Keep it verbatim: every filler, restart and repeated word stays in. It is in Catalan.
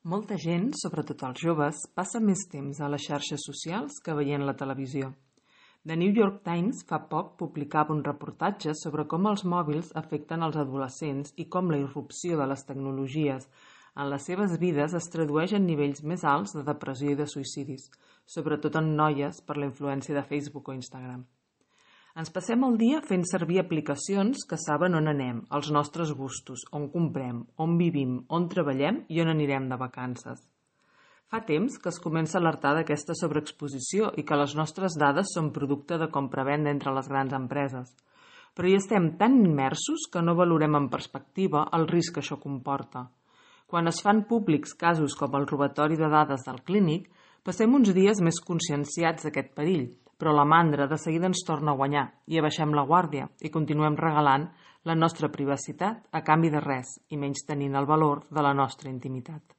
Molta gent, sobretot els joves, passa més temps a les xarxes socials que veient la televisió. The New York Times fa poc publicava un reportatge sobre com els mòbils afecten els adolescents i com la irrupció de les tecnologies en les seves vides es tradueix en nivells més alts de depressió i de suïcidis, sobretot en noies per la influència de Facebook o Instagram. Ens passem el dia fent servir aplicacions que saben on anem, els nostres gustos, on comprem, on vivim, on treballem i on anirem de vacances. Fa temps que es comença a alertar d'aquesta sobreexposició i que les nostres dades són producte de compra-venda entre les grans empreses. Però hi estem tan immersos que no valorem en perspectiva el risc que això comporta. Quan es fan públics casos com el robatori de dades del clínic, passem uns dies més conscienciats d'aquest perill, però la mandra de seguida ens torna a guanyar i abaixem la guàrdia i continuem regalant la nostra privacitat a canvi de res i menys tenint el valor de la nostra intimitat.